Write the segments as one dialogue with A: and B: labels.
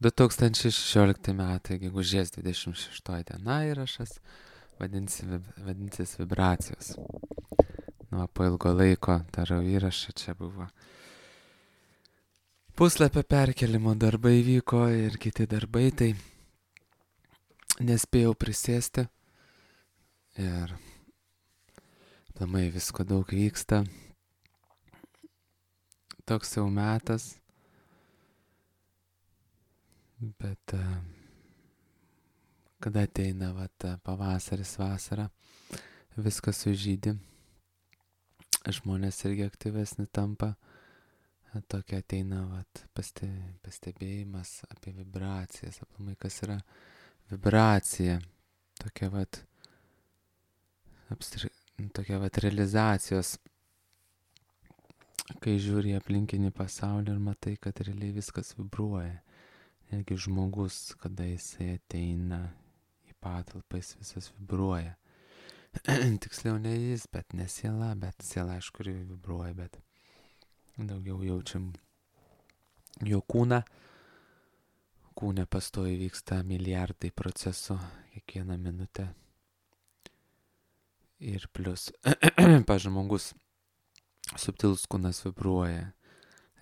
A: 2016 metai, gegužės 26 diena įrašas, vadinsis vibracijos. Nu, po ilgo laiko darau įrašą, čia buvo puslapio perkelimo darbai vyko ir kiti darbai, tai nespėjau prisėsti ir aplamai visko daug vyksta. Toks jau metas, bet kada ateina pavasaris, vasara, viskas sužydi, žmonės irgi aktyvesni tampa, tokia ateina pastebėjimas apie vibracijas, aplamai kas yra vibracija, tokia realizacijos, kai žiūri aplinkinį pasaulį ir matai, kad realiai viskas vibruoja. Netgi žmogus, kada jisai ateina į patalpą, jis visas vibruoja. Tiksliau ne jis, bet ne siela, bet siela aišku ir vibruoja, bet daugiau jaučiam jo kūną. Kūne pastoviai vyksta milijardai procesų kiekvieną minutę. Ir plus, žmogus, subtilus kūnas vibruoja,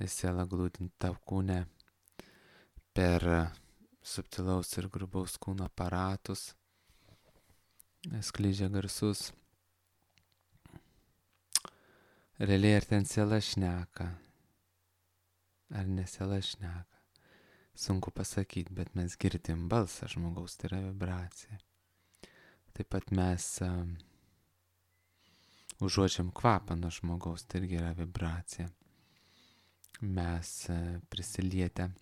A: siela glūdinti tau kūne per subtilaus ir grubaus kūno aparatus, skleidžia garsus. Realiai ar ten siela šneka, ar ne siela šneka, sunku pasakyti, bet mes girdim balsą žmogaus, tai yra vibracija. Taip pat mes užuodžiam kvapą nuo žmogaus, tai irgi yra vibracija. Mes prisilietę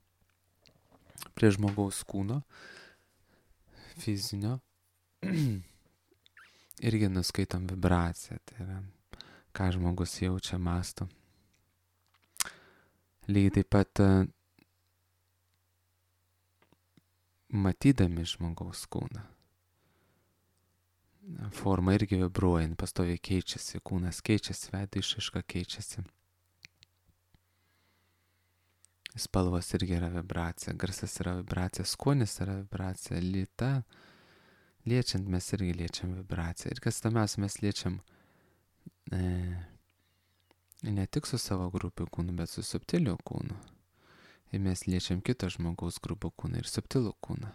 A: prie žmogaus kūno fizinio irgi nuskaitom vibraciją, tai yra ką žmogus jaučia, mąsto. Lygiai taip pat matydami žmogaus kūną, forma irgi vibruoja, pastoviai keičiasi, kūnas keičiasi, veido išraiška keičiasi. Spalvos irgi yra vibracija, garsas yra vibracija, skonis yra vibracija, lyta. Liečiant mes irgi liečiam vibraciją. Ir kas įdomiausia, mes liečiam ne tik su savo grubiu kūnu, bet su subtiliu kūnu. Ir mes liečiam kito žmogaus grubų kūną ir subtilų kūną.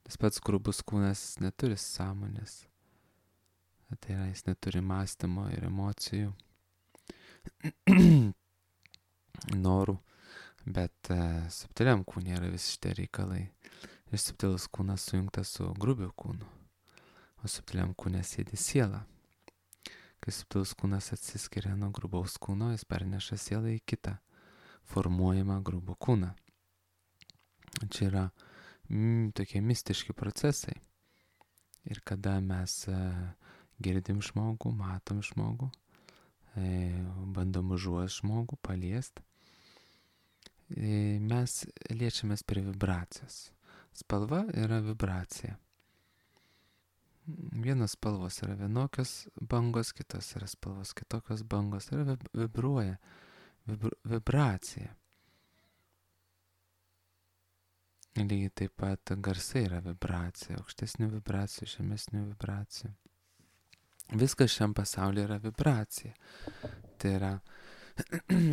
A: Tas pats grubus kūnas neturi sąmonės. Tai yra, jis neturi mąstymo ir emocijų, norų, bet subtiliam kūne yra visi šitie reikalai. Ir subtilus kūnas sujungtas su grubiu kūnu, o subtiliam kūne sėdi siela. Kai subtilus kūnas atsiskiria nuo grubaus kūno, jis perneša sielą į kitą formuojamą grubų kūną. Čia yra tokie mistiški procesai. Ir kada mes girdim žmogų, matom žmogų, bandom užuost žmogų, paliest, mes liečiamės prie vibracijos. Spalva yra vibracija. Vienos spalvos yra vienokios bangos, kitos yra spalvos kitokios bangos. Tai yra vibruoja, vibracija. Lygiai taip pat garsai yra vibracija, aukštesnių vibracijų, žemesnių vibracijų. Viskas šiam pasaulyje yra vibracija. Tai yra,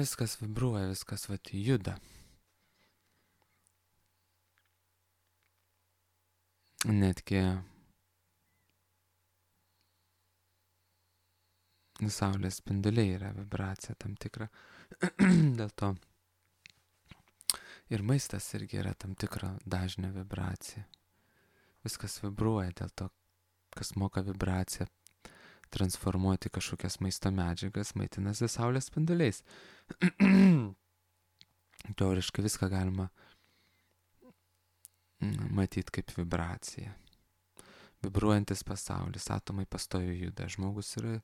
A: viskas vibruoja, viskas juda. Netgi saulės spinduliai yra vibracija tam tikra. Dėl to ir maistas irgi yra tam tikra dažnio vibracija. Viskas vibruoja, dėl to, kas moka vibraciją transformuoti kažkokias maisto medžiagas, maitinasi saulės spinduliais. Teoriškai viską galima matyti kaip vibracija. Vibruojantis pasaulis, atomai pastoviai juda. Žmogus yra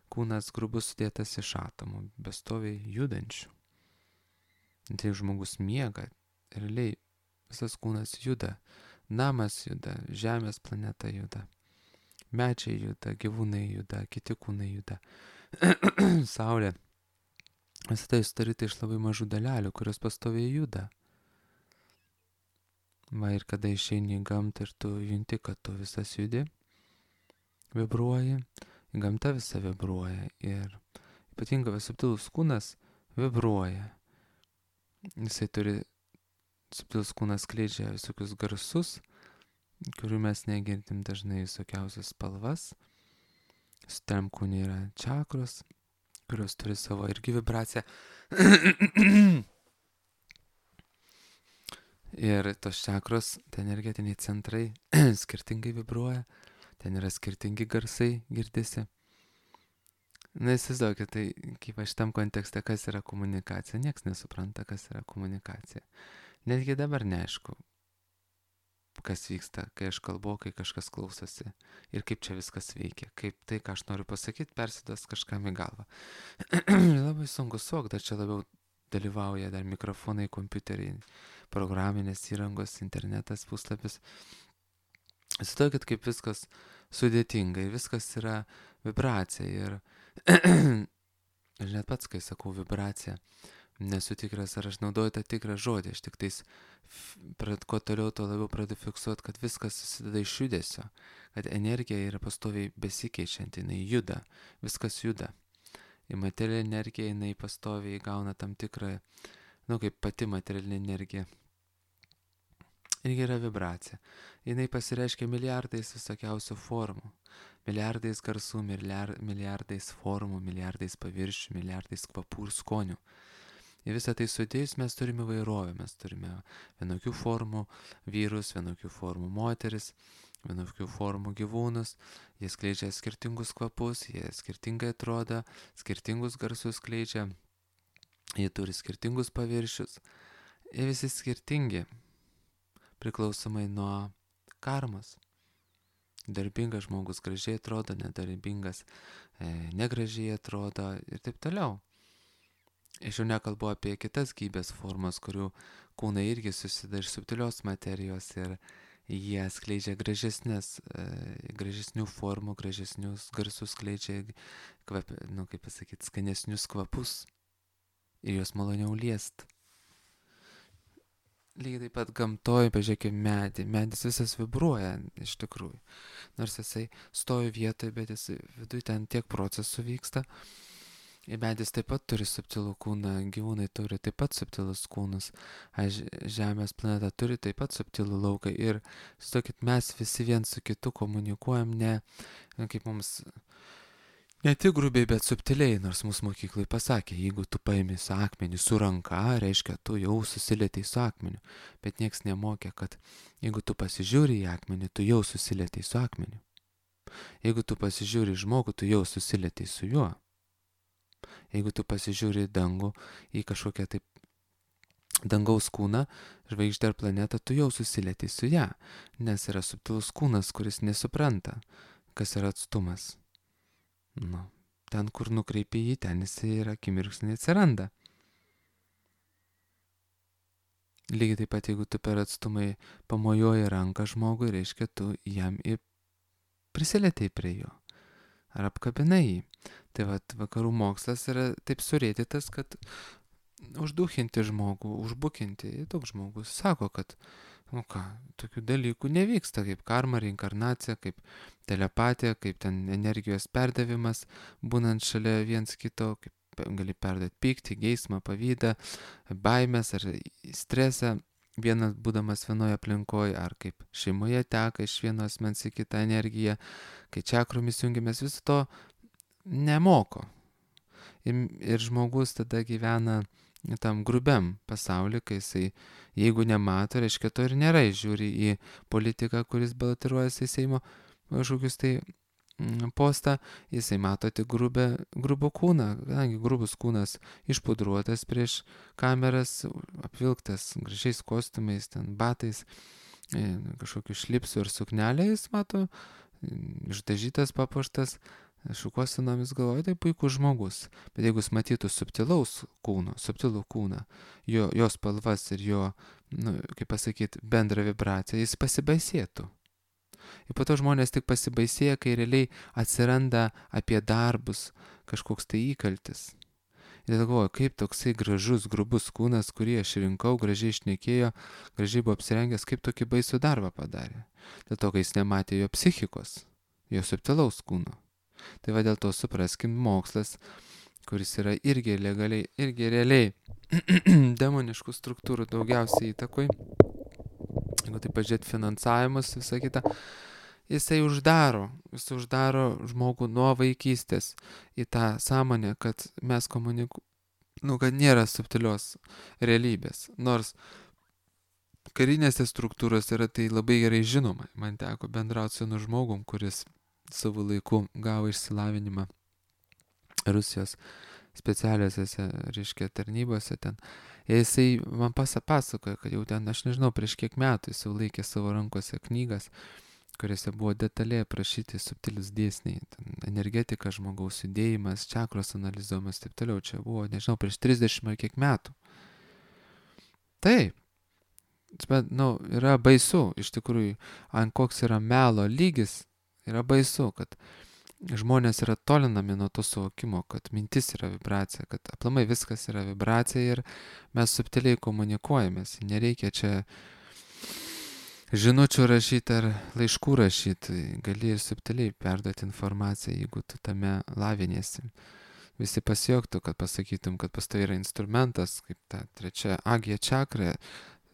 A: kūnas grubus sudėtas iš atomų, pastoviai judančių. Tai žmogus miega, realiai visas kūnas juda. Namas juda, Žemės planeta juda. Medžiai juda, gyvūnai juda, kiti kūnai juda. Saulė. Visą tai sudaryta iš labai mažų dalelių, kurios pastoviai juda. Va ir kada išeini į gamtą ir tu junti, kad tu visas judi, vibruoji, gamta visa vibruoja ir ypatingai subtilus kūnas vibruoja. Jisai turi, subtilus kūnas skleidžia visokius garsus, kurių mes negirdim dažnai, visokiausias spalvas. Subtiliam kūne yra čakros, kurios turi savo irgi vibraciją. Ir tos čakros, tai energetiniai centrai skirtingai vibruoja, ten yra skirtingi garsai girdisi. Na, įsivaizduokit, tai kaip šitam kontekste, kas yra komunikacija, nieks nesupranta, kas yra komunikacija. Netgi dabar neaišku, kas vyksta, kai aš kalbu, kai kažkas klausosi ir kaip čia viskas veikia, kaip tai, ką aš noriu pasakyti, persiduos kažkam į galvą. Labai sunku suvokti, čia labiau dalyvauja dar mikrofonai, kompiuteriai, programinės įrangos, internetas, puslapis. Įsivaizduokit, kaip viskas sudėtinga ir viskas yra vibracija. Ir aš net pats, kai sakau vibracija, nesu tikras, ar aš naudoju tą tikrą žodį. Aš tik tais, kuo toliau, tuo labiau pradedu fiksuoti, kad viskas susideda iš judesio, kad energija yra pastoviai besikeičianti, jinai juda, viskas juda. Ir materialinė energija, jinai pastoviai gauna tam tikrą, kaip pati materialinė energija. Irgi yra vibracija. Jinai pasireiškia milijardais visokiausių formų. Milijardais garsų, milijardais formų, milijardais paviršių, milijardais kvapų ir skonių. Ir visą tai sudėjus mes turime įvairovę. Mes turime vienokių formų vyrus, vienokių formų moteris, vienokių formų gyvūnus. Jie skleidžia skirtingus kvapus, jie skirtingai atrodo, skirtingus garsus skleidžia. Jie turi skirtingus paviršius. Ir visi skirtingi. Priklausomai nuo karmos. Darbingas žmogus gražiai atrodo, nedarbingas negražiai atrodo ir taip toliau. Aš jau nekalbu apie kitas gyvybės formas, kurių kūnai irgi susideda iš subtilios materijos ir jie skleidžia gražesnių formų, gražesnius garsus, skleidžia skanesnius kvapus ir juos maloniau liest. Lygiai taip pat gamtoje, pažiūrėkime, medis visas vibruoja iš tikrųjų. Nors jisai stovi vietoje, bet jis viduje ten tiek procesų vyksta. Ir medis taip pat turi subtilų kūną, gyvūnai turi taip pat subtilus kūnus, Žemės planeta turi taip pat subtilų lauką. Ir, sakykit, mes visi vien su kitu komunikuojam kaip mums... Ne tik grubiai, bet subtiliai, nors mūsų mokyklai pasakė, jeigu tu paimi su akmenį su ranka, reiškia, tu jau susilietei su akmeniu. Bet nieks nemokė, kad jeigu tu pasižiūri į akmenį, tu jau susilietei su akmeniu. Jeigu tu pasižiūri į žmogų, tu jau susilietei su juo. Jeigu tu pasižiūri į dangų, į kažkokią taip dangaus kūną, žvaigždę ar planetą, tu jau susilietei su ją, nes yra subtilus kūnas, kuris nesupranta, kas yra atstumas. Ten, kur nukreipi jį, ten jisai yra akimirksniai atsiranda. Lygiai taip pat, jeigu tu per atstumai pamojuoji ranką žmogui, reiškia, tu jam prisilietei prie jo. Ar apkabinai jį. Tai vakarų mokslas yra taip surėdytas, kad užduchinti žmogų, užbukinti. Toks žmogus sako, kad tokių dalykų nevyksta, kaip karma, reinkarnacija, kaip telepatija, kaip ten energijos perdavimas, būnant šalia viens kito, kaip gali perduoti pyktį, geismą, pavydą, baimės ar stresą, vienas būdamas vienoje aplinkoje, ar kaip šeimoje teka iš vieno asmens į kitą energiją, kai čakromis jungiamės, viso to nemoko. Ir žmogus tada gyvena tam grubiam pasauliu, kai jisai, jeigu nemato, reiškia, to ir nėra, žiūri į politiką, kuris balotiruojasi į Seimo kažkokius tai postą, jisai mato tik grubų kūną, kadangi grubus kūnas išpudruotas prieš kameras, apvilktas gražiais kostiumais, ten batais, kažkokiu šlipsu ir suknelė, jis mato, išdažytas, papuoštas, šukuosenomis, galvoja, tai puikus žmogus. Bet jeigu jis matytų subtilų kūną, jo spalvas ir jo, kaip pasakyti, bendrą vibraciją, jis pasibaisėtų. Ir po to žmonės tik pasibaisėja, kai realiai atsiranda apie darbus kažkoks tai įkaltis. Ir galvoju, kaip toksai gražus, grubus kūnas, kurį aš rinkau, gražiai šnekėjo, gražiai buvo apsirengęs, kaip tokį baisų darbą padarė. Dėl to, kai jis nematė jo psichikos, jo subtilaus kūno. Tai va dėl to supraskim, mokslas, kuris yra irgi legaliai, irgi realiai demoniškų struktūrų daugiausiai įtakoj, jeigu tai pažiūrėt finansavimus, visą kitą, jis uždaro žmogų nuo vaikystės į tą sąmonę, kad mes kad nėra subtilios realybės. Nors karinėse struktūrose yra tai labai gerai žinoma. Man teko bendrauti su žmogum, kuris savo laiku gavo išsilavinimą Rusijos specialiosiose, reiškia, tarnybose ten. Ir jisai man pasakojo, kad jau ten, aš nežinau, prieš kiek metų jis jau laikė savo rankose knygas, kuriuose buvo detaliai aprašyti subtilus dėsniai, energetika, žmogaus judėjimas, čakros analizuojamas, taip toliau. Čia buvo, nežinau, prieš 30 ar kiek metų. Taip. Bet, yra baisu, iš tikrųjų, ant koks yra melo lygis, yra baisu, kad žmonės yra tolinami nuo to suvokimo, kad mintis yra vibracija, kad aplamai viskas yra vibracija ir mes subtiliai komunikuojamės. Nereikia čia žinučių rašyti ar laiškų rašyti, gali ir subtiliai perduoti informaciją, jeigu tu tame laviniesi. Visi pasijuoktų, kad pasakytum, kad pas tai yra instrumentas, kaip ta trečia agija čakra,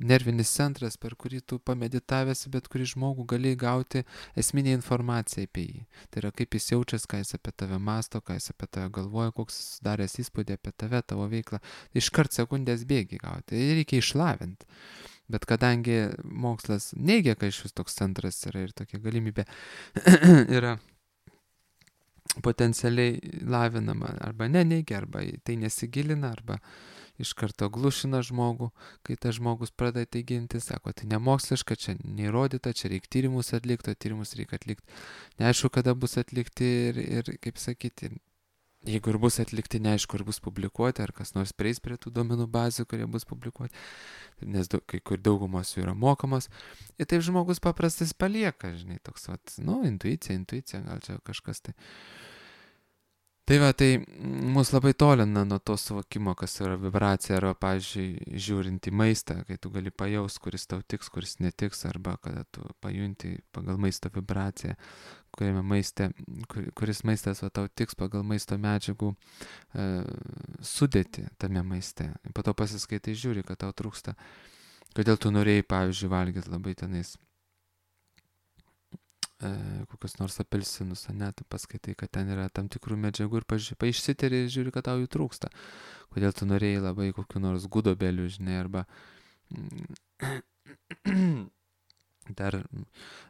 A: nervinis centras, per kurį tu pameditavęs, bet kurį žmogų gali gauti esminę informaciją apie jį. Tai yra kaip jis jaučiasi, ką jis apie tave masto, ką jis apie tave galvoja, koks sudaręs įspūdį apie tave, tavo veiklą. Iškart sekundės bėgi gauti. Ir reikia išlavinti. Bet kadangi mokslas neigia, kad iš vis toks centras yra ir tokia galimybė yra potencialiai lavinama, arba neneigia, arba tai nesigilina, arba iš karto glušina žmogų, kai tas žmogus pradeda tai ginti, sako, tai nemoksliška, čia neįrodyta, čia reikia tyrimus atlikti, o tyrimus reikia atlikti. Neaišku, kada bus atlikti ir kaip sakyti, jeigu ir bus atlikti, neaišku, ar bus publikuoti, ar kas nors prieis prie tų duomenų bazių, kurie bus publikuoti, nes kai kur daugumos jų yra mokamos. Ir taip žmogus paprastas palieka, žinai, toks, intuicija, gal čia kažkas tai. Tai va, tai mus labai tolina nuo to suvokimo, kas yra vibracija, arba, pavyzdžiui, žiūrint į maistą, kai tu gali pajaus, kuris tau tiks, kuris netiks, arba kada tu pajunti pagal maisto vibraciją, kuris maistas tau tiks pagal maisto medžiagų sudėti tame maiste. Po to pasiskaitai, žiūri, kad tau trūksta. Kodėl tu norėjai, pavyzdžiui, valgyti labai tenais kokius nors apelsinus, tu paskaitai, kad ten yra tam tikrų medžiagų ir išsiteri ir žiūri, kad tau jų trūksta. Kodėl tu norėjai labai kokių nors gudobelių, žinai, arba dar,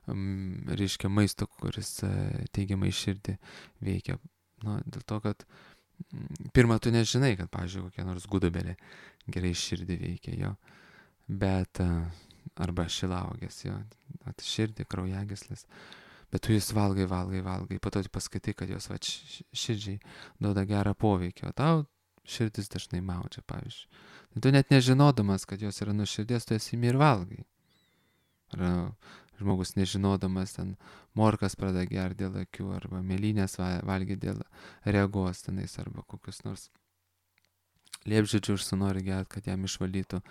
A: reiškia, maisto, kuris teigiamai širdį veikia. Dėl to, kad pirmą tu nežinai, kad, pavyzdžiui, kokie nors gudobelė gerai širdį veikia jo, bet arba šilauogės jo, širdį, kraujagyslės. Bet tu jis valgai, po to tu paskaitai, kad jos širdžiai duoda gerą poveikį, o tau širdis dažnai maudžia, pavyzdžiui. Tu net nežinodamas, kad jos yra nuo širdies, tu esi ir valgai. Ar žmogus nežinodamas ten morkas pradeda gerti dėl akių, arba mėlynės valgyti dėl regos tenais, arba kokius nors liepžiedžių užsinori gerti, kad jam išvalytų,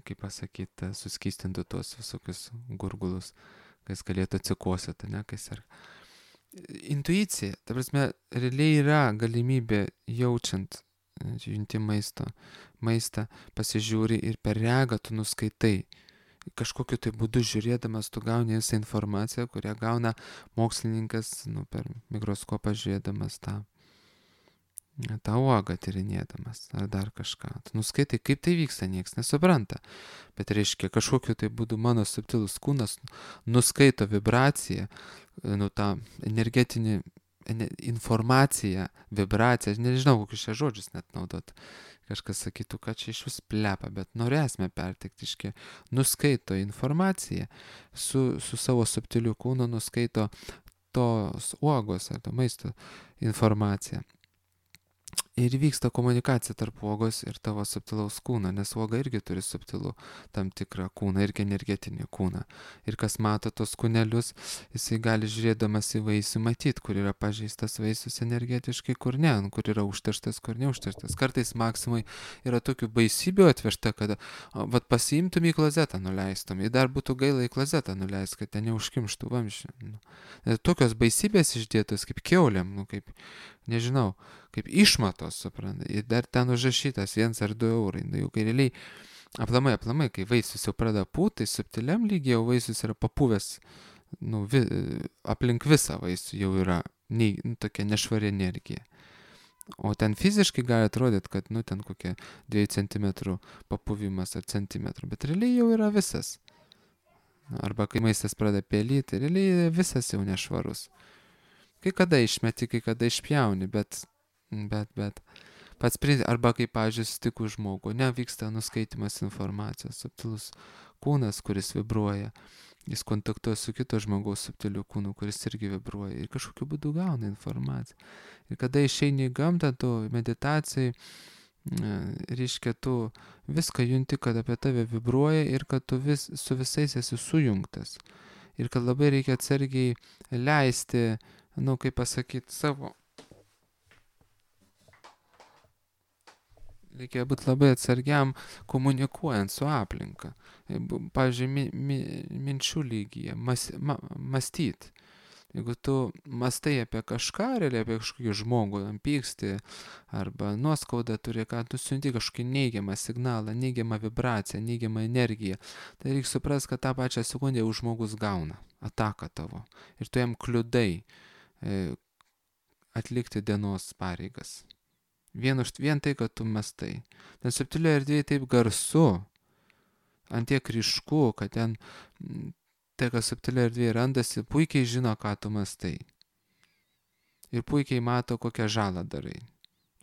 A: kaip pasakyti, suskystintų tuos visokius gurgulus, kai jis galėtų atsikosėti, kai jis yra. Intuicija, ta prasme, realiai yra galimybė junti maistą, pasižiūri ir per regą tu nuskaitai. Kažkokiu tai būdu žiūrėdamas tu gauni visą informaciją, kurią gauna mokslininkas per mikroskopą žiūrėdamas tą uogą tyrinėdamas ar dar kažką. Tu nuskaitai, kaip tai vyksta, nieks nesupranta. Bet reiškia, kažkokiu tai būdu mano subtilus kūnas nuskaito vibraciją, tą energetinį informaciją, vibraciją, nežinau, kokius čia žodžius net naudot. Kažkas sakytų, kad čia iš vis plepa, bet norėsime perteikti, iškia, nuskaito informaciją su savo subtiliu kūnu, nuskaito tos uogos ar to maisto informaciją. Ir vyksta komunikacija tarp uogos ir tavo subtilaus kūno, nes uoga irgi turi subtilų tam tikrą kūną, irgi energetinį kūną. Ir kas mato tos kūnelius, jisai gali žiūrėdamas į vaisių matyti, kur yra pažeistas vaisius energetiškai, kur ne, kur yra užterštas, kur neužterštas. Kartais maksimai yra tokių baisybių atvežta, kad vat pasiimtum į klozetą nuleistum, ir dar būtų gaila į klozetą nuleist, kad ten neužkimštų vamzdžių. Tokios baisybės išdėtos kaip kiaulėm, kaip, nežinau, kaip išmatos, supranta. Ir dar ten užrašytas 1 ar 2 eurai. Nu, jau kai realiai, aplamai, kai vaisius jau pradeda pūti, tai subtiliam lygiai jau vaisius yra papuvęs, nu, aplink visą vaisių jau yra tokia nešvari energija. O ten fiziškai gali atrodyti, kad, nu, ten kokie 2 cm papuvimas ar centimetrų, bet realiai jau yra visas. Arba kai maistas pradeda pelyti, realiai visas jau nešvarus. Kai kada išmeti, kai kada išpjauni, bet pats arba kai, pavyzdžiui, sutiku žmogų, nevyksta nuskaitimas informacijos, subtilus kūnas, kuris vibruoja, jis kontaktuoja su kito žmogaus subtiliu kūnu, kuris irgi vibruoja ir kažkokiu būdu gauna informaciją. Ir kada išeini į gamtą, tu meditacijai, reiškia, tu viską junti, kad apie tave vibruoja ir kad tu su visais esi sujungtas. Ir kad labai reikia atsargiai leisti, nu, kaip pasakyti, savo. Reikia būti labai atsargiam komunikuojant su aplinka. Pavyzdžiui, minčių lygyje, mąstyti. Jeigu tu mastai apie kažką, realiai apie kažkokį žmogų, pyksti arba nuoskaudą turi, ką tu siunti kažkokį neigiamą signalą, neigiamą vibraciją, neigiamą energiją, tai reikia suprasti, kad tą pačią sekundę jau žmogus gauna ataką tavo. Ir tu jam kliudai atlikti dienos pareigas. Vien tai, kad tu mastai. Ten subtilioje erdvėje taip garsu, antiek ryšku, kad ten tai, kas subtilioje erdvėje randasi, puikiai žino, ką tu mastai. Ir puikiai mato, kokią žalą darai.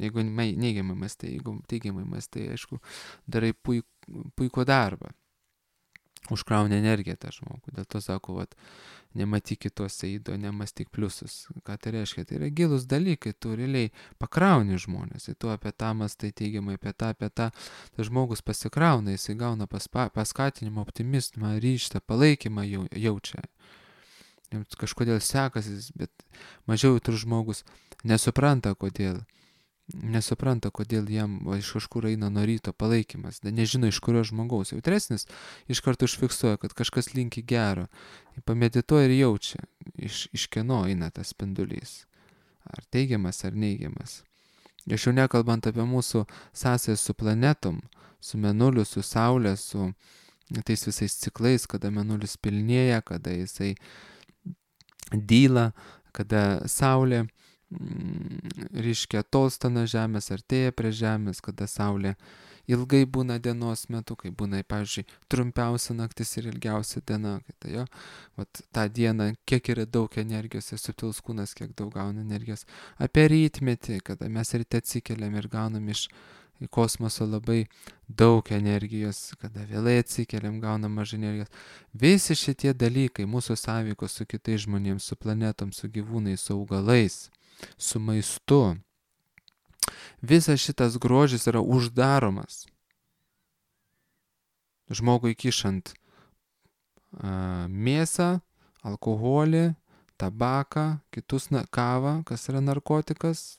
A: Jeigu neigiamai mastai, jeigu teigiamai mastai, aišku, darai puikų darbą. Užkrauni energiją tą žmogų. Dėl to sako, vat, nematyk kitose įdo, nemastyk pliusus. Ką tai reiškia? Tai yra gilus dalykai, tu realiai pakrauni žmonės. Ir tu apie tą mastai teigiamai, apie tą. Tas žmogus pasikrauna, jisai gauna paskatinimą, optimizmą, ryžtą, palaikymą jaučia. Jiems kažkodėl sekasi, bet mažiau jautrus žmogus nesupranta, kodėl jam iš kažkur eina nuo ryto palaikymas, nežino iš kurio žmogaus. Jautresnis iš karto užfiksuoja, kad kažkas linki gero, pamedituoja ir jaučia, iš kieno eina tas spindulys, ar teigiamas, ar neigiamas. Aš jau nekalbant apie mūsų sąsają su planetom, su Mėnuliu, su Saulė, su tais visais ciklais, kada Mėnulis pilnėja, kada jisai dyla, kada Saulė reiškia tolsta nuo Žemės, artėja prie Žemės, kada Saulė ilgai būna dienos metu, kai būna, pavyzdžiui, trumpiausia naktis ir ilgiausia diena, tai jo, vat tą dieną, kiek yra daug energijos ir subtilus kūnas, kiek daug gauna energijos. Apie rytmetį, kada mes ryte atsikeliam ir gaunam iš kosmoso labai daug energijos, kada vėlai atsikeliam, gaunam mažai energijos. Visi šitie dalykai, mūsų sąveikos su kitais žmonėms, su planetom, su gyvūnais, su augalais, su maistu. Visas šitas grožis yra uždaromas. Žmogui kišant mėsą, alkoholį, tabaką, kitus kavą, kas yra narkotikas.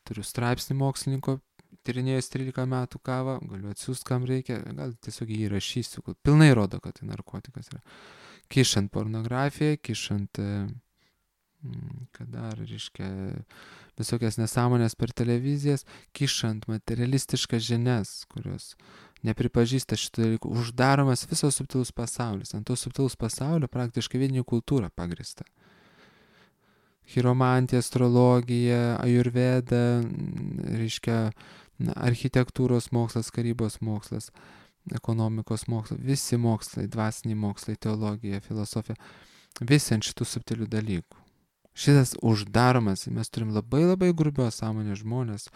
A: Turiu straipsnį mokslininko, tyrinėjęs 13 metų kavą, galiu atsiųsti, kam reikia, gal tiesiog jį įrašysiu, pilnai rodo, kad tai narkotikas yra. Kišant pornografiją, kišant kad dar, reiškia, visokias nesąmonės per televizijas, kišant materialistiškas žinias, kurios nepripažįsta šitų dalykų, uždaromas visas subtilus pasaulis. Ant to subtilus pasaulio praktiškai vidinė kultūra pagrįsta. Chiromantija, astrologija, ajurveda, reiškia, architektūros mokslas, karybos mokslas, ekonomikos mokslas, visi mokslai, dvasiniai mokslai, teologija, filosofija, visi ant šitų subtilių dalykų. Šitas uždaromas, mes turim labai labai grubios sąmonės žmonės,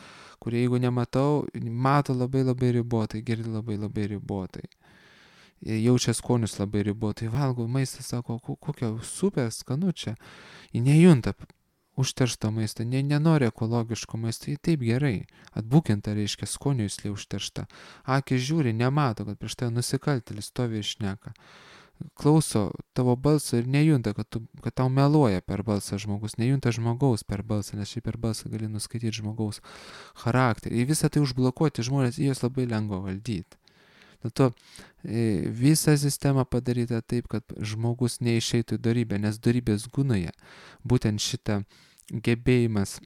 A: kurie, jeigu nematau, mato labai labai ribotai, girdi labai labai ribotai. Jaučia skonius labai ribotai, valgo maistą, sako, kokia super skanu čia. Jie nejunta užteršto maisto, nenori ekologiško maisto, tai taip gerai. Atbukinta reiškia skonio juslė užteršta. Akis žiūri, nemato, kad prieš tai nusikaltėlis stovi ir šneka. Klauso tavo balso ir nejunta, kad tau meluoja per balsą žmogus, nejunta žmogaus per balsą, nes šiaip per balsą gali nuskaityti žmogaus charakterį. Ir visą tai užblokuoti žmonės, jos labai lengva valdyti. Dėl to visa sistema padaryta taip, kad žmogus neišeitų į dorybę, nes dorybės gunoje būtent šitą gebėjimas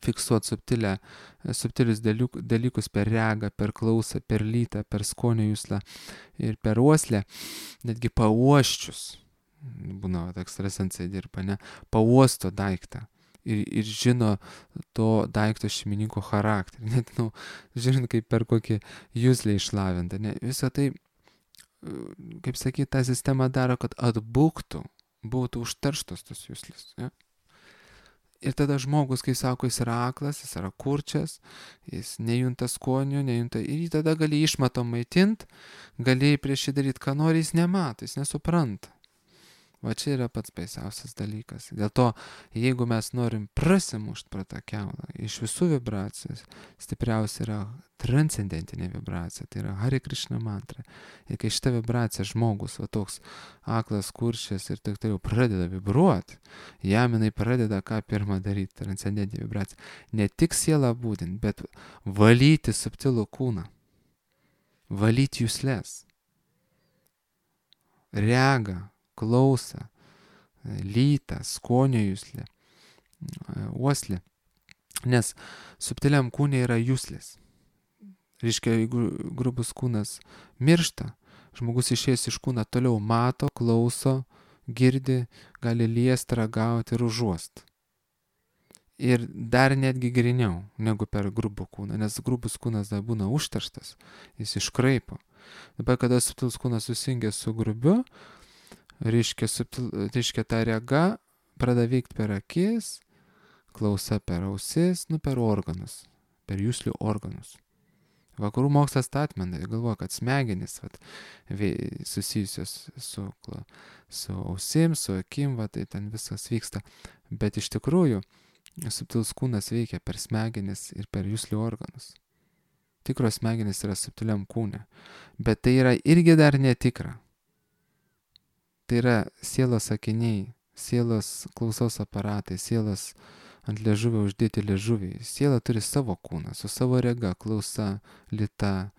A: fiksuoti subtilius dalykus per regą, per klausą, per lytą, per skonio juslą ir per uoslę, netgi pauoščius, būna ekstrasensai dirba, ne, pauosto daiktą ir žino to daikto šeimininko charakterį, net, žinot, kaip per kokį juslę išlavintą, ne, visą tai, kaip sakyti, ta sistema daro, kad atbuktų, būtų užterštos tos juslės, ne? Ir tada žmogus, kai sako, jis yra aklas, jis yra kurčias, jis nejunta skonio, ir jį tada gali išmatom maitint, gali prieš jį daryti, ką nori, jis nemato, jis nesupranta. Va čia yra pats baisiausias dalykas. Dėl to, jeigu mes norim prasimušti pro tą keulą, iš visų vibracijų stipriausia yra transcendentinė vibracija, tai yra Hare Krishna mantra. Ir kai šita vibracija žmogus, va toks aklas, kurčias ir taip toliau pradeda vibruoti, jam jinai pradeda ką pirmą daryti, transcendentinė vibracija. Ne tik sielą būdint, bet valyti subtilų kūną, valyti juslės, regą, klausą, lytą, skonio juslę, uoslę. Nes subtiliam kūne yra juslės. Reiškia, jeigu grubus kūnas miršta, žmogus išėjęs iš kūną toliau mato, klauso, girdi, gali liesti, ragauti ir užuosti. Ir dar netgi griniau negu per grubų kūną, nes grubus kūnas dar būna užterštas, jis iškraipo. Dabar, kada subtilus kūnas susijungia su grubiu, reiškia ta rega pradeda veikti per akis, klausa per ausis, per organus, per juslių organus. Vakarų mokslas tą atmena, galvoja, kad smegenys susijusios su ausim, su akim, tai ten viskas vyksta. Bet iš tikrųjų subtilus kūnas veikia per smegenis ir per juslių organus. Tikros smegenys yra subtiliam kūne, bet tai yra irgi dar netikra. Tai yra sielos akiniai, sielos klausos aparatai, sielos ant liežuvio uždėti liežuviai. Siela turi savo kūną, su savo rega, klausa, lyta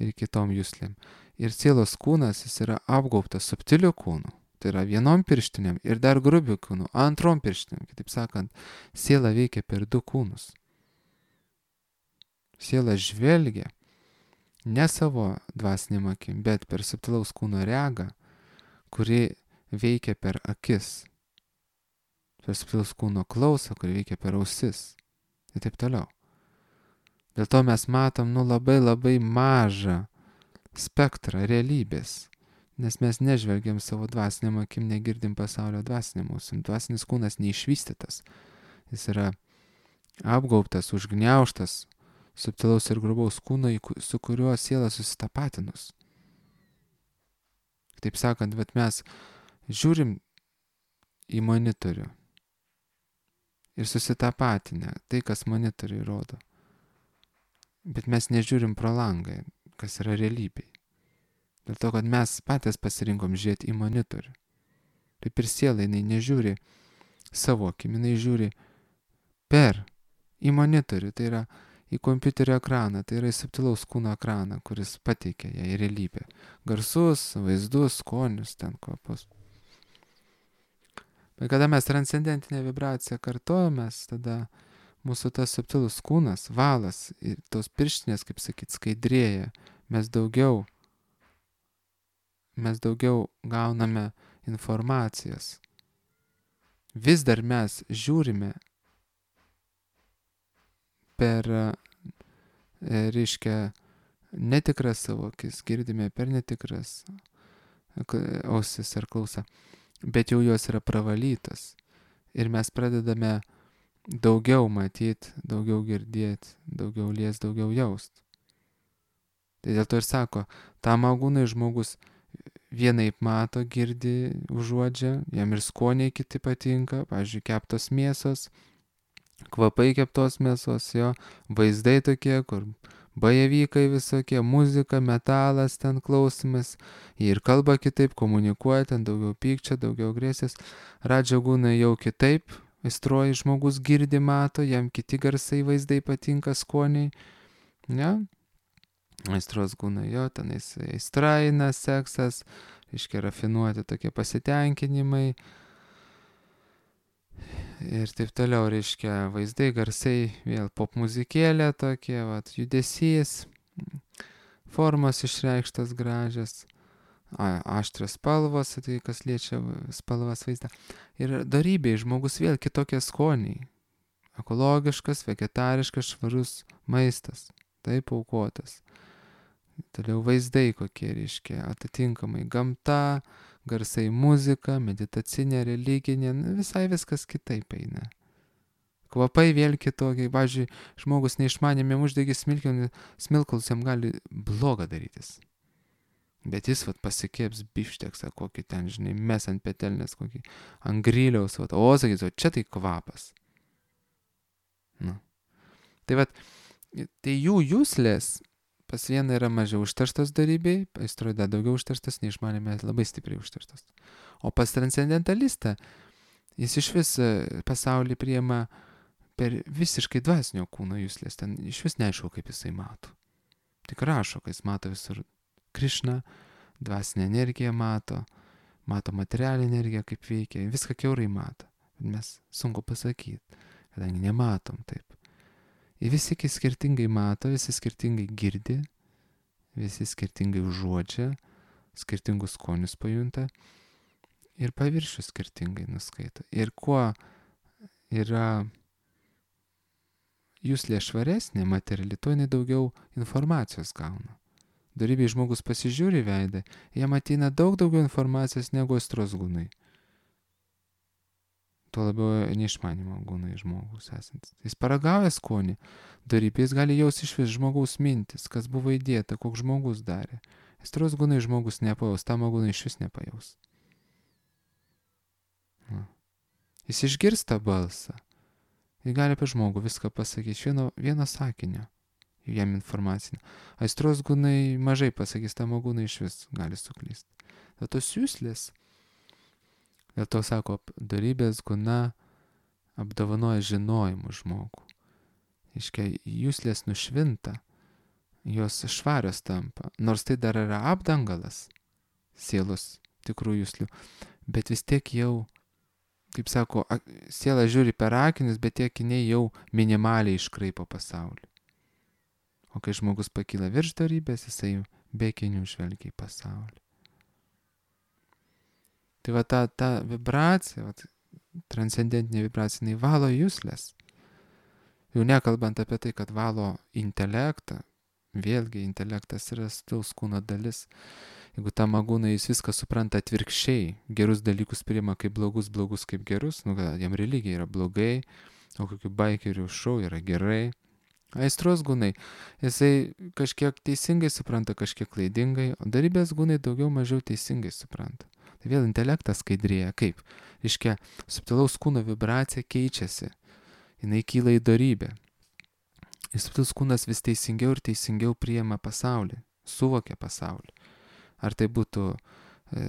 A: ir kitom juslėm. Ir sielos kūnas, jis yra apgaubtas subtiliu kūnu. Tai yra vienom pirštinėm ir dar grubiu kūnu, antrom pirštinėm. Kitaip sakant, siela veikia per du kūnus. Siela žvelgia ne savo dvasinėm akim, bet per subtilaus kūno regą, kuri veikia per akis, per subtilaus kūno klausą, kuri veikia per ausis ir taip toliau. Dėl to mes matom labai labai mažą spektrą realybės, nes mes nežvelgiam savo dvasiniam akim, negirdim pasaulio dvasiniam ausim. Dvasinis kūnas neišvystytas, jis yra apgaubtas, užgniaužtas subtilaus ir grubaus kūno, su kuriuo siela susitapatinus. Taip sakant, bet mes žiūrim į monitorių ir susitapatinę tai, kas monitoriui rodo. Bet mes nežiūrim pro langą, kas yra realybėj. Dėl to, kad mes patys pasirinkom žiūrėti į monitorių. Taip ir siela, jinai nežiūri savo akim, jinai žiūri į monitorių, tai yra į kompiuterio ekraną, tai yra į subtilaus kūno ekraną, kuris pateikia ją į realybę. Garsus, vaizdus, skonius, ten kvapus. Bet kada mes transcendentinę vibraciją kartojamės, tada mūsų tas subtilus kūnas, valas ir tos pirštinės, kaip sakyt, skaidrėja. Mes daugiau gauname informacijos. Vis dar mes žiūrime per, reiškia, netikras savo akis, girdime per netikras ausis ar klausą, bet jau jos yra pravalytos. Ir mes pradedame daugiau matyti, daugiau girdėti, daugiau liest, daugiau jaust. Tai dėl to ir sako, tam agūnai žmogus vienaip mato, girdi, užuodžia, jam ir skoniai kiti patinka, pavyzdžiui, keptos mėsos, kvapai keptos mėsos, jo, vaizdai tokie, kur bajevykai visokie, muzika, metalas, ten klausimas, jie ir kalba kitaip, komunikuoja, ten daugiau pykčio, daugiau agresijos, radžagūnai jau kitaip, aistruoji žmogus girdi, mato, jam kiti garsai, vaizdai patinka, skoniai, ne? Aistros gūnai, jo, tenais aistra eina, seksas, reiškia rafinuoti tokie pasitenkinimai ir taip toliau, reiškia vaizdai, garsai, vėl pop muzikėlė tokie, vat, judesys, formos išreikštas gražias, aštrios spalvos, tai kas liečia spalvas vaizdą. Ir darybėj žmogus vėl kitokie skoniai, ekologiškas, vegetariškas, švarus maistas, taip aukotas. Toliau vaizdai kokie, reiškia, atitinkamai gamta, garsai muzika, meditacinė, religinė, visai viskas kitaip eina. Kvapai vėl kitokie, pavyzdžiui, žmogus neišmanėm jam uždegė smilkalus, jam gali blogą darytis. Bet jis vat pasikėps bifšteksą, kokį ten, žinai, mes ant petelnės, kokį ant griliaus, vat, o sakys, o čia tai kvapas. Nu. Tai vat, tai jų juslės pas vieną yra mažiau užterštas darybėj, aistroj dar daugiau užterštas, neišmanėme labai stipriai užterštas. O pas transcendentalistą, jis iš vis pasaulį priima per visiškai dvasinio kūno juslės, ten iš vis neaišku, kaip jisai mato. Tik rašo, kad jis mato visur Krišną, dvasinę energiją mato materialinę energiją, kaip veikia, viską kiaurai mato. Mes sunku pasakyti, kadangi nematom taip. Ir visi skirtingai mato, visi skirtingai girdi, visi skirtingai užuodžia, skirtingus skonius pajunta ir paviršių skirtingai nuskaito. Ir kuo yra juslė švaresnė, materiali, tuo jinai daugiau informacijos gauna. Darybėj žmogus pasižiūri veidą, jam ateina daug daugiau informacijos negu aistros gūnai. Tuo labiau neišmanimo gūnai žmogus esantis. Jis paragauja skonį, darybėj jis gali jaus iš vis žmogaus mintis, kas buvo įdėta, koks žmogus darė. Aistros gūnai žmogus nepajaus, tamo gūnai iš vis nepajaus. Jis išgirsta balsą. Jis gali apie žmogų viską pasakyti iš vieno sakinio, jam informacinio. Aistros gūnai mažai pasakys, tamo gūnai iš vis gali suklysti. Bet tos juslės, dėl to sako, darybės gūna apdovanoja žinojimu žmogų. Iškia, juslės nušvinta, jos švarios tampa, nors tai dar yra apdangalas sielos tikrų juslių, bet vis tiek jau, kaip sako, siela žiūri per akinius, bet tie akiniai jau minimaliai iškraipo pasaulį. O kai žmogus pakyla virš darybės, jisai be akinių žvelgia į pasaulį. Tai va ta vibracija, transcendentinė vibracija, jinai valo juslės. Jau nekalbant apie tai, kad valo intelektą, vėlgi intelektas yra stilaus kūno dalis. Jeigu tam agūnai jis viską supranta atvirkščiai, gerus dalykus priima kaip blogus, blogus kaip gerus, jam religija yra blogai, o kokių baikerių šou yra gerai. Aistros gūnai, jisai kažkiek teisingai supranta, kažkiek klaidingai, o darybės gūnai daugiau mažiau teisingai supranta. Tai vėl intelektas skaidrėja. Kaip? Reiškia, subtilaus kūno vibracija keičiasi. Jinai kyla į darybę. Ir subtilus kūnas vis teisingiau ir teisingiau priima pasaulį, suvokia pasaulį. Ar tai būtų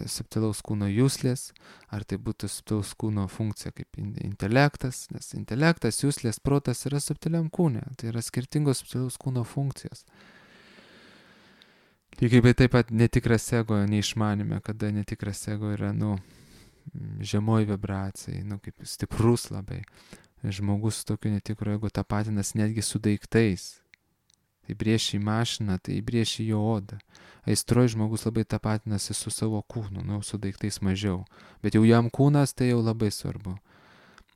A: subtilaus kūno juslės, ar tai būtų subtilaus kūno funkcija kaip intelektas, nes intelektas, juslės, protas yra subtiliam kūne. Tai yra skirtingos subtilaus kūno funkcijos. Lygiai taip pat netikras ego neišmanime, kada netikras ego yra, žemoj vibracijai, kaip stiprus labai. Žmogus tokiu netikru ego tapatinas netgi su daiktais. Tai brėši į mašiną, tai brėši į jo odą. Aistroj žmogus labai tapatinasi su savo kūnu, su daiktais mažiau. Bet jau jam kūnas tai jau labai svarbu.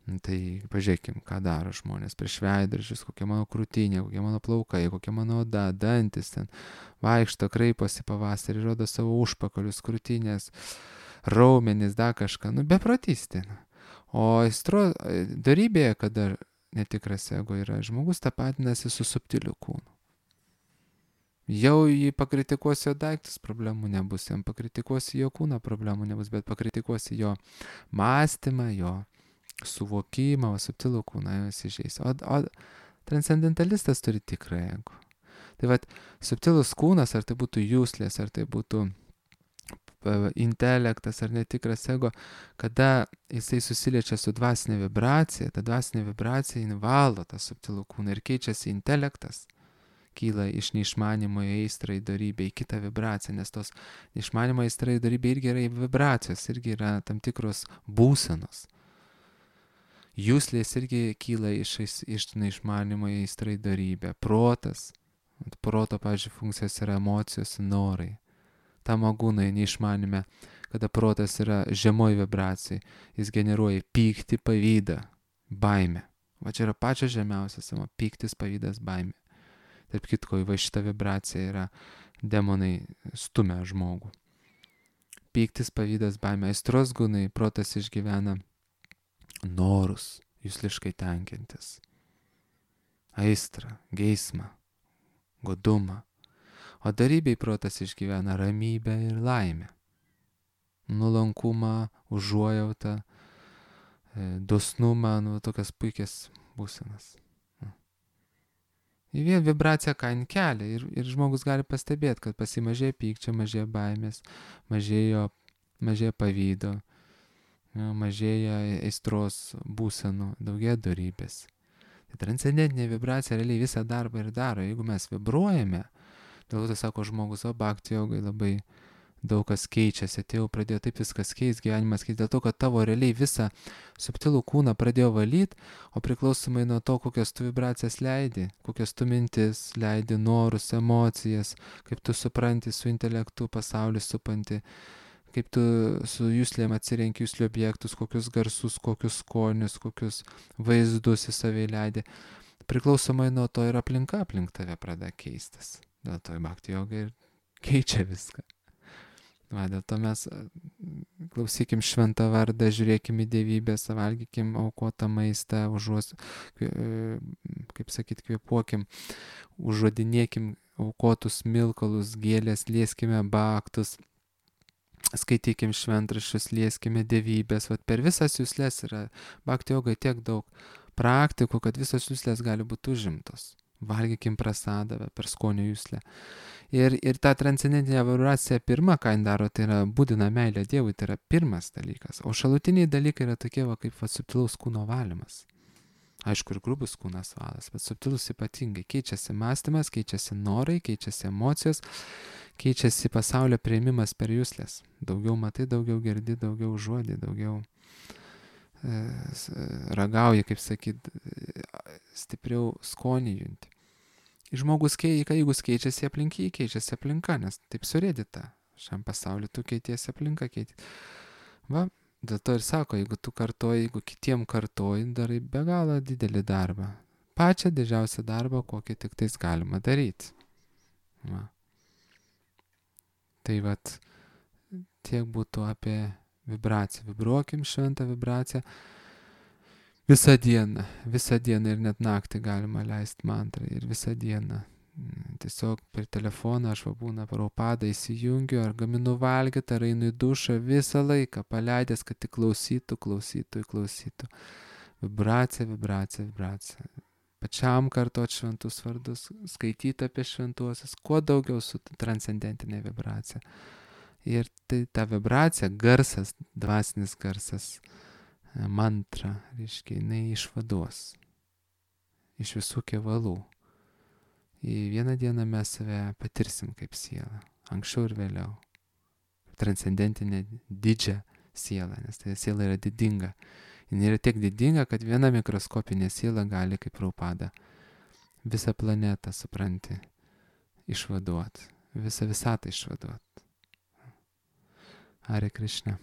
A: Tai pažiūrėkim, ką daro žmonės prieš veidrodžius, kokia mano krūtinė, kokia mano plaukai, kokia mano oda, dantis ten, vaikšto, kraiposi pavasarį, rodo savo užpakalius, krūtinės, raumenis, dar kažką, beprotystė. O darybėje, kada netikras ego yra, žmogus tapatinasi su subtiliu kūnu. Jau jį pakritikuosi jo daiktus, problemų nebus, jam pakritikuosi jo kūną, problemų nebus, bet pakritikuosi jo mąstymą, jo suvokimą, subtilų kūną, jau įsižeis. O transcendentalistas turi tikrą ego. Tai vat, subtilus kūnas, ar tai būtų jūslės, ar tai būtų intelektas, ar netikras ego, kada jisai susiliečia su dvasinė vibracija, ta dvasinė vibracija invalo tą subtilų kūną ir keičiasi intelektas, kyla iš neišmanimo į aistrą, į dorybę, į kitą vibraciją, nes tos neišmanimo aistra į dorybę irgi yra vibracijos, irgi yra tam tikros būsenos. Jūslės irgi kyla iš neišmanimo į aistrą, į dorybę. Protas, proto, pavyzdžiui, funkcijos yra emocijos, norai. Tamagūnai neišmanime, kada protas yra žemoj vibracijai, jis generuoja pyktį, pavydą, baimę. Va čia yra pačios žemiausias, pyktis, pavydas, baimė. Tarp kitko, va šita vibracija yra demonai stumia žmogų. Pyktis, pavydas, baimė, aistros gūnai, protas išgyvena norus, jusliškai tenkintis. Aistrą, geismą, godumą. O darybei protas išgyvena ramybę ir laimę. Nuolankumą, užuojautą, dosnumą, tokias puikias būsenas. Į vien vibraciją kain kelia ir žmogus gali pastebėti, kad pasimažėja pykčio, mažėja baimės, mažėja pavydo, mažėja aistros būsenų, daugėja dorybės. Tai transcendentinė vibracija realiai visą darbą ir daro. Jeigu mes vibruojame, dėl to sako žmogus, o bhakti jogai labai daug kas keičiasi, atėjau, pradėjo taip viskas keis, gyvenimas keis, dėl to, kad tavo realiai visą subtilų kūną pradėjo valyti, o priklausomai nuo to, kokias tu vibracijas leidi, kokias tu mintis leidi, norus, emocijas, kaip tu supranti su intelektu pasaulį supantį, kaip tu su juslėm atsirenki juslių objektus, kokius garsus, kokius skonius, kokius vaizdus į save leidi. Priklausomai nuo to ir aplinka aplink tave pradeda keistis. Dėl to bhakti joga ir keičia viską. Va, dėl to mes klausykim šventą vardą, žiūrėkim į dievybės, valgykim aukotą maistą, kvėpuokim, užuodinėkim aukotus milkalus, gėlės, lieskime baktus, skaitykim šventraščius, lieskime dievybės. Va, per visas juslės yra bhakti jogai tiek daug praktikų, kad visos juslės gali būti užimtos. Valgykim prasadą per skonio juslę. Ir ta transcendentinė vibracija pirma, ką jin daro, tai yra būdina meilė Dievui, tai yra pirmas dalykas. O šalutiniai dalykai yra tokie, kaip subtilaus kūno valymas. Aišku, ir grubus kūnas valas, bet subtilus ypatingai. Keičiasi mąstymas, keičiasi norai, keičiasi emocijos, keičiasi pasaulio priėmimas per juslės. Daugiau matai, daugiau girdi, daugiau užuodi, daugiau ragauji, kaip sakyt, stipriau skonį junti. Žmogus, jeigu keičiasi aplinka, keičiasi aplinka, nes taip surėdita. Šiam pasauliu tu keitiesi aplinka, Va, dėl to ir sako, jeigu tu kartoji, jeigu kitiem kartoji, darai be galo didelį darbą. Pačią didžiausią darbą, kokį tik tais galima daryti. Va. Tai vat, tiek būtų apie vibraciją. Vibruokim šventą vibraciją. Visą dieną ir net naktį galima leisti mantrą ir visą dieną. Tiesiog per telefoną aš būna Prabhupada įsijungiu, ar gaminu valgyti, ar einu į dušą, visą laiką paleidęs, kad tik klausytų. Vibracija. Pačiam kartot šventus vardus, skaityti apie šventuosius, kuo daugiau su transcendentinė vibracija. Ir tai ta vibracija, garsas, dvasinis garsas, mantra, reiškia, jinai išvaduos iš visų kevalų. Į vieną dieną mes save patirsim kaip sielą, anksčiau ir vėliau. Transcendentinė didžią sielą, nes tai siela yra didinga. Jis yra tiek didinga, kad viena mikroskopinė siela gali, kaip Prabhupada, visą planetą, supranti, išvaduoti, visą visatą išvaduoti. Hare Krishna.